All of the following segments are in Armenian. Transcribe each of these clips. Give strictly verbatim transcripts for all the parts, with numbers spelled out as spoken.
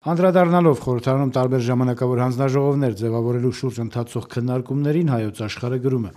Անդրադառնալով խորհրդարանում տարբեր ժամանակավոր հանձնաժողովներ ձևավորելու շուրջ ընթացող քննարկումներին Հայոց Աշխարհը գրում է.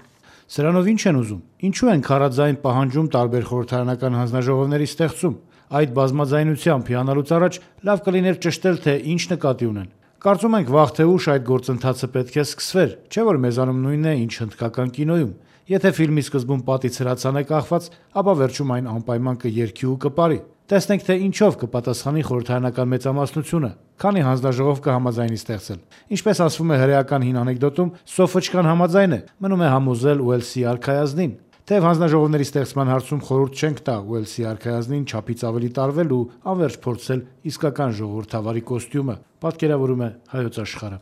«Սրանով ինչ են ուզում, ինչու են քարաձայն պահանջում տարբեր խորհրդարանական հանձնաժողովների ստեղծում, այդ բազմաձայնությամբ հիանալուց առաջ լավ կլիներ ճշտել, թե ինչ նկատի ունեն: Կարծում ենք վաղ թե ուշ այդ գործընթացը պետք է սկսվեր, չէ որ մեզանում նույնն է, ինչ հնդկական կինոյում: Եթե ֆիլմի սկզբում պատից հրացան է կախված, ապա վերջում այն անպայման կերքի ու կպարի: Տեսնենք, թե ինչով կպատասխանի խորհրդարանական մեծամասնությունը, քանի հանձնաժողով կհամաձայնի ստեղծել: Ինչպես ասվում է հրեական հին անեկդոտում, սոֆոչկան համաձայն է, մնում է համոզել Ուելսի արքայազնին: Թեև հանձնաժողովների ստեղծման հարցում խորհուրդ չենք տա Ուելսի արքայազնին չափից ավելի տարվել ու անվերջ փորձել իսկական ժողովրդավարի կոստյումը», պատկերավորում է Հայոց Աշխարհը: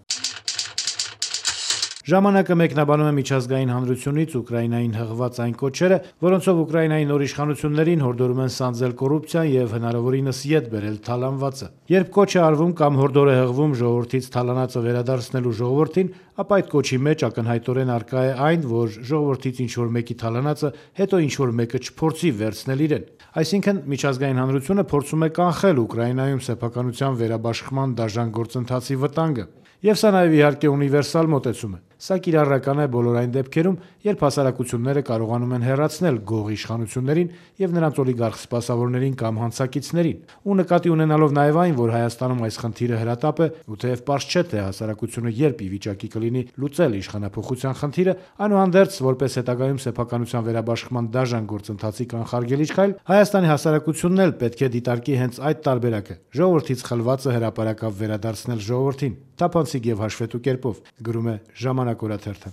«Ժամանակ»-ը մեկնաբանում է միջազգային հանրությունից Ուկրաինային հղված այն կոչերը, որոնցով Ուկրաինայի նոր իշխանություններին հորդորում են սանձել կոռուպցիան եւ հնարավորինս ետ բերել թալանվածը: Երբ կոչ է արվում կամ հորդոր է հղվում ժողովրդից թալանածը վերադարձնելու ժողովրդին, ապա այդ կոչի մեջ ակնհայտորեն առկա է այն, որ ժողովրդից ինչ-որ մեկի թալանածը հետո ինչ-որ մեկը չփորձի վերցնել իրեն: Այսինքն միջազգային հանրությունը փորձում է կանխել Ուկրաինայում սեփականության վերաբաշխման դաժան գործընթացի վտանգը: Եվ սա նաեւ իհարկե ունիվերսալ մոտեցում է: Սա կիրառական է բոլոր այն դեպքերում, երբ հասարակությունները կարողանում են հեռացնել գող իշխանություններին եւ նրանց օլիգարխ սպասավորներին կամ հանցակիցներին: Ու նկատի ունենալով նաեւ այն, որ Հայաստանում այս խնդիրը հրատապ է, ու թեեւ պարզ չէ, թե հասարակությունը երբ ի վիճակի կլինի լուծել իշխանափոխության խնդիրը, այնուհանդերձ, որպես հետագայում սեփականության վերաբաշխման դաժան գործընթացի կանխարգելիչ քայլ, Հայաստանի հասարակությունն էլ պետք է դիտարկի հենց այդ տարբերակը՝ ժողովրդից խլվածը հրապարակավ վերադարձնել ժողովրդին, թափանցիկ եւ հաշվետու կերպով», գրում է «Ժամանակ» օրաթերթը: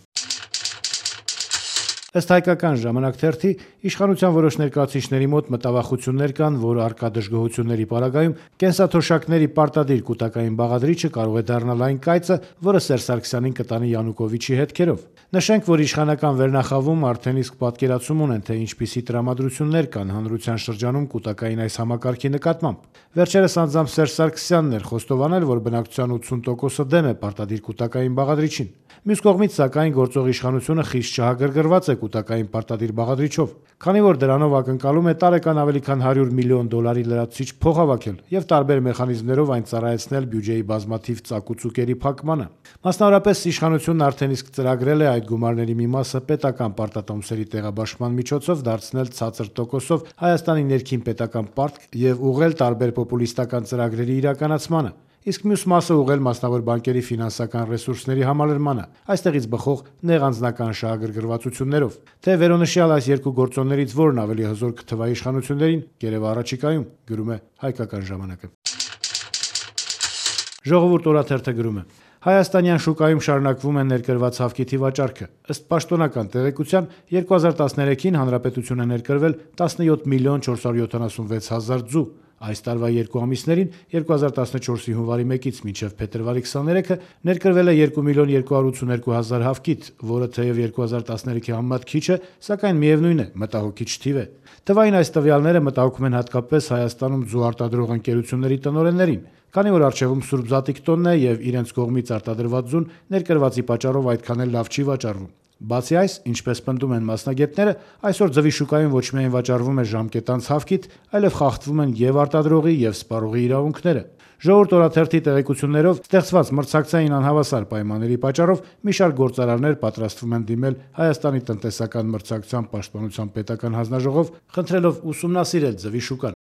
Ըստ հայկական «Ժամանակ» թերթի, իշխանության որոշ ներկայացուցիչների մոտ մտավախություններ կան, որ առկա դժգոհությունների պարագայում կենսաթոշակների պարտադիր կուտակային բաղադրիչը կարող է դառնալ այն կայծը, որը Սերժ Սարգսյանին կտանի Յանուկովիչի հետքերով: Նշենք, որ իշխանական վերնախավում արդեն իսկ պատկերացում ունեն, թե ինչպիսի տրամադրություններ կան հանրության շրջանում կուտակային այս համակարգի նկատմամբ: Վերջերս անձամբ Սերժ Սարգսյանն էր խոստովանել, որ բնակչության ութսուն տոկոսը դեմ է պարտադիր կուտակային բաղադրիչին: Մյուս կողմից, սակայն, գործող իշխանությունը խիստ չհագրգռված է կուտակային պարտադիր բաղադրիչով, քանի որ դրանով ակնկալում է տարեկան ավելի քան հարյուր միլիոն դոլարի լրացուցիչ փող հավաքել եւ տարբեր մեխանիզմներով այն ծառայեցնել բյուջեի բազմաթիվ ծակուծուկերի փակմանը: Մասնավորապես, իշխանությունն արդեն իսկ ծրագրել է այդ գումարների մի մասը պետական պարտատոմսերի տեղաբաշխման միջոցով դարձնել ցածր տոկոսով Հայաստանի ներքին պետական պարտք եւ ուղղել տարբեր պոպուլիստական ծրագրերի իրականացմանը, իսկ մյուս մասը ուղղել մասնավոր բանկերի ֆինանսական ռեսուրսների համալրմանը, այստեղից բխող նեղանձնական շահագրգռվածություններով: Թե վերոնշյալ այս երկու գործոններից որն ավելի հզոր կթվա իշխանություններին, կերևա առաջիկայում, գրում է հայկական «Ժամանակ»-ը: «Ժողովուրդ» օրաթերթը գրում է. «Հայաստանյան շուկայում շարունակվում է ներկրված հավքիթի վաճառքը: Ըստ պաշտոնական տեղեկության, երկու հազար տասներեքին հանրապետություն է ներկրվել տասնյոթ միլիոն չորս հարյուր յոթանասունվեց հազար ձու: Այս տարվա երկու ամիսներին՝ երկու հազար տասնչորսի հունվարի մեկից մինչև փետրվարի քսաներեքը, ներկրվել է երկու միլիոն երկու հարյուր ութսուներկու հազար հավքիթ, որը թեև երկու հազար տասներեքի համեմատ քիչ է, սակայն միևնույն է՝ մտահոգիչ թիվ է: Թվային այս տվյալները մտահոգում են հատկապես Հայաստանում ձու արտադրող ընկերությունների տնօրեններին, քանի որ առջևում սուրբ զատիկ տոնն է եւ իրենց կողմից արտադրված ձուն ներկրվածի պատճառով այդքան էլ լավ չի վաճառվում: Բացի այս, ինչպես պնդում են մասնագետները, այսօր ձվի շուկայում ոչ միայն վաճառվում է ժամկետանց հավքիթ, այլև խախտվում են եւ արտադրողի եւ սպառողի իրավունքները: «Ժողովուրդ» օրաթերթի տեղեկություններով, ստեղծված մրցակցային անհավասար պայմանների պատճառով մի շարք գործարարներ պատրաստվում են դիմել Հայաստանի տնտեսական մրցակցության պաշտպանության պետական հանձնաժողով՝ խնդրելով ուսումնասիրել ձվի շուկան: